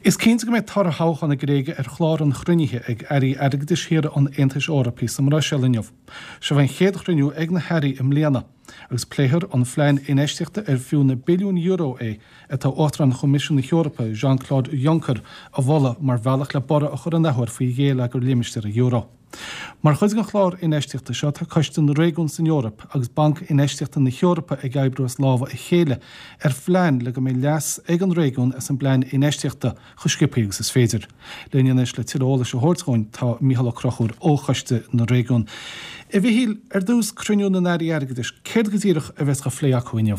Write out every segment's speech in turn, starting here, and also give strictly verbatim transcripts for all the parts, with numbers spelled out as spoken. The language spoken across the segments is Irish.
Is cinnte go mbeidh toradh thoghchán na Gréige ar chlár an chruinnithe ag airí airgeadais thíortha an Aontais Eorpaigh sa mBruiséil inniu. Seo an chéad chruinniú ag na hairí i mbliana, agus pléifear an plean infheistíochta ar fiú na billiúin euro é atá Uachtarán Choimisiún na hEorpa Jean-Claude Juncker a mholadh mar bhealach le borradh a chur an athuair faoi gheilleagar limistéar an euro. Mar chuid den chlár infheistíochta seo tá Coiste na Réigiún san Eoraip agus Banc Infheistíochta na hEorpa ag oibriú as lámha a chéile ar phlean le go mbeidh leas ag an réigiún as an bplean infheistíochta chomh sciobtha agus is féidir. Linn anois le tuilleadh eolais a thabhairt dúinn tá Mícheál Ó Conchúir ó Choiste na Réigiún. A Mhichíl ar dtús cruinniú na n-airí airgeadais, céard go díreach a bheas á phlé acu inniu.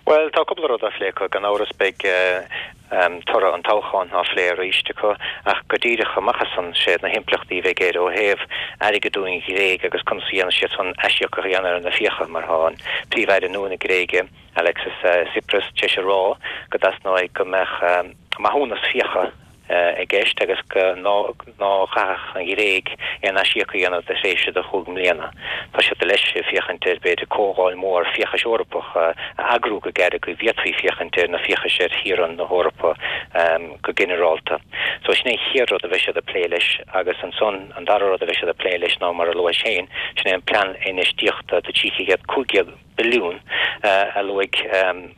Well tá cúpla rud á phlé acu gan amhras beidh uh, um, toradh an toghcháin á phlé arís acu ach go díreach amach ansan sé na himpleachtaí bheidh air ó thaobh airgeadú an Ghréig agus conas a dhéanfaidh siad san aisíoc a dhéanamh ar na fiacha mar tá an Príomh-Aire nua na Gréige Alexis uh, Tsipras tar éis a rá go dteastóidh go mbeadh um, maithiúnas fiacha uh, i gceist agus go ná ná chaithfeadh an Ghréig aon aisíoc a dhéanamh de thréimhse de chúig mbliana. Tá sé leis féachaint ar b'fhéidir comhdháil mór fiachais Eorpach uh, a eagrú go gairid go bhféadfaí féachaint ar na fiachais ar thíortha na hEorpa um, go ginearálta. So sin é chéad rud a bheidh siad ag plé leis agus ansan an dara rud a bheidh siad ag plé leis ná mar a luaigh féin sin é an plean infheistíochta de trí chéad cúig déag billiún uh, a luaigh um,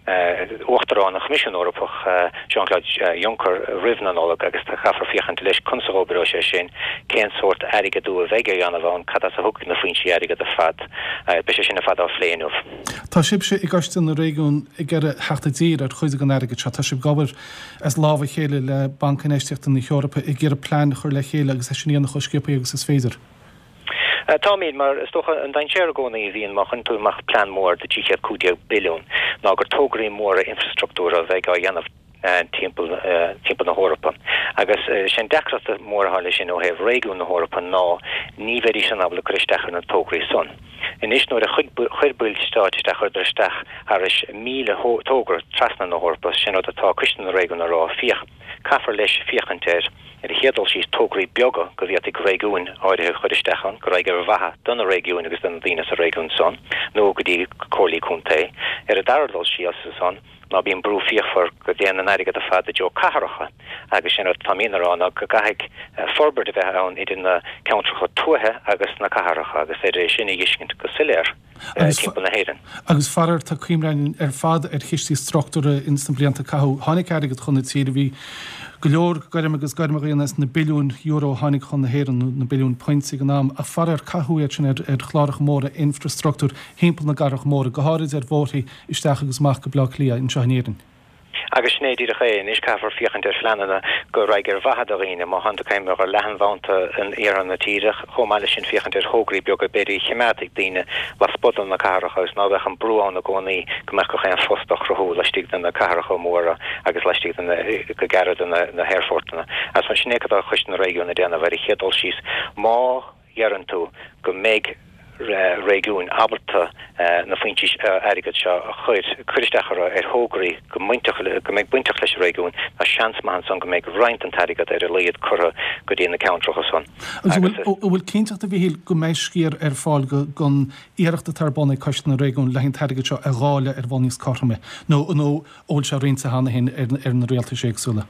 Uachtarán an Choimisiún Eorpach Jean-Claude Juncker roimh na Nollag agus tá caithfear féachaint leis conas a oibreoidh sé sin cén sórt airgeadú a bheidh ann ann cad as a thiocfaidh na foinsí airgid ar fad beidh sé sin ar fad á phlé inniu. Tá sibhse i gCoiste na Réigiún ag iarraidh teacht i dtír ar chuid den airgead seo tá sibh ag obair as lámh a chéile le Banc Infheistíochta na hEorpa ag iarraidh plean a chur le chéile agus é sin a dhéanamh chomh sciobtha agus is féidir. Táimid mar is dócha an dainséar i gcónaí a bhíonn má chuireann tú amach plean mór de trí chéad cúig déag billiún ná gur tograí móra infrastruchtúra a bheidh á dhéanamh timpeall timpeall na hEorpa. Agus sin deacracht mór atá leis sin ó thaobh réigiún na hEorpa ná ní bheidís in ábalta cur isteach ar na tograí san. Anois nuair a chuir ballstáit isteach chuireadar isteach thar míle togra trasna na hEorpa sin rud atá Coiste na Réigiún a rá féach caithfear leis féachaint ar ar a chéad dul síos tograí beaga go bhféadfaidh réigiúin áirithe chur isteach ann go raghadh ar mhaithe do na réigiúin agus do na daoine sa réigiún san nó go dtí comhairlí contae ar a dara dul síos san ná bíonn brú fíochmhar go dtéann an airgead ar fad i dtreo cathracha agus sin tá mé ag rá ná go gcaithfidh forbairt a bheith ann idir na ceantracha tuaithe agus na cathracha agus ar é sin a fheiscint go soiléir timpeall na hÉireann. Agus faraor tá cuimhne ar fad ar chistí struchtúrtha ins na blianta a caitheadh tháinig airgead chun na tíre bhí go leor gairm agus gairm as na billiún euro tháinig chun na hÉireann na billiún punt ag an am ach faraor caitheadh iad sin ar ar chláracha móra infrastruchtúr timpeall na gcathracha móra go háirid ar bhóithre isteach agus amach go Baile Átha Cliath anseo in Éirinn. Agus sin é díreach é anois caithfear féachaint ar phleananna go raghadh ar mhaithe do dhaoine má tánn tú ag cuimhneamh ar leathanbhanda in iarthar na tíre chomh maith leis sin féachaint ar thograí beaga b'fhéidir a choimeádfaidh daoine lasmuigh de na cathracha agus ná bheadh an brú ann i gcónaí go mbeadh gach aon phost á chruthú laistigh de na cathracha móra agus laistigh de na go gar do na na haerfortanna. As mar sin é atá Coiste na Réigiún ag déanamh ar a chéad dul síos má dheireann tú go mbeidh réigiúin ábalta na foinsí airgead seo a chur cur isteach ar ar thograí go mbainteach go mbeidh bainteach leis an réigiún tá seans maith ansan go mbeidh roinnt an t-airgead ar a laghad curtha go dtí na ceantracha san. Agus bhfuil bhfuil cinnteacht a Mhichíl go mbeidh sciar ar fáil go gon iarracht atá ar bun ag Coiste na Réigiún le an t-airgead seo a dháileadh ar bhonn níos cothroime nó nó bhfuil sé roinnte cheana féin ar ar na rialtais éagsúla.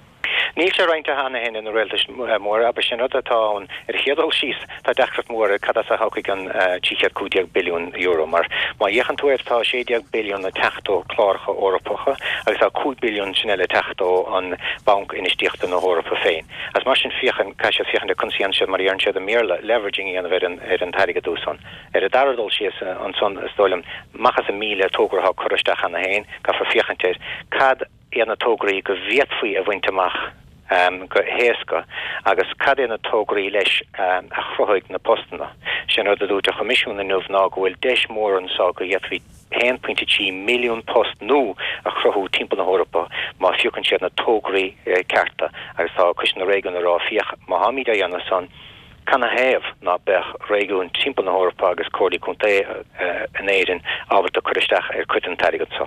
Níl sé roinnte cheana féin na rialtais móra aber sin rud atá ann ar chéad dul síos tá deacracht mór cad as a thiocfaidh an trí chéad cúig déag billiún euro mar má fhéachann tú air tá sé déag billiún ag teacht ó chláracha Eorpacha agus tá cúig billiún sin eile ag teacht ó an Banc Infheistíochta na hEorpa féin. As mar sin féachann caithfidh siad féachaint conas a dhéanann siad mar a deireann siad i mBéarla leveraging a dhéanamh ar an ar an t-airgeadú san. Ar a dara dul síos ansan is dóigh liom amach as an míle togra atá curtha isteach cheana féin caithfear féachaint ar cad iad na tograí go bhféadfaí a bhaint amach um, go héasca agus cad é na tograí leis um, a chruthóidh na postanna. Sin rud a dúirt an Coimisiún inniu ná go bhfuil deis mór anseo go bhféadfaí haon pointe trí milliún post nua a chruthú timpeall na hEorpa má phiocann siad na tograí eh, cearta agus tá Coiste na Réigiún ag rá féach má tháimid á dhéanamh san canathaobh ná beadh réigiún timpeall na hEorpa agus comhairlí contae uh, in Éirinn ábalta cur isteach ar chuid den t-airgead seo.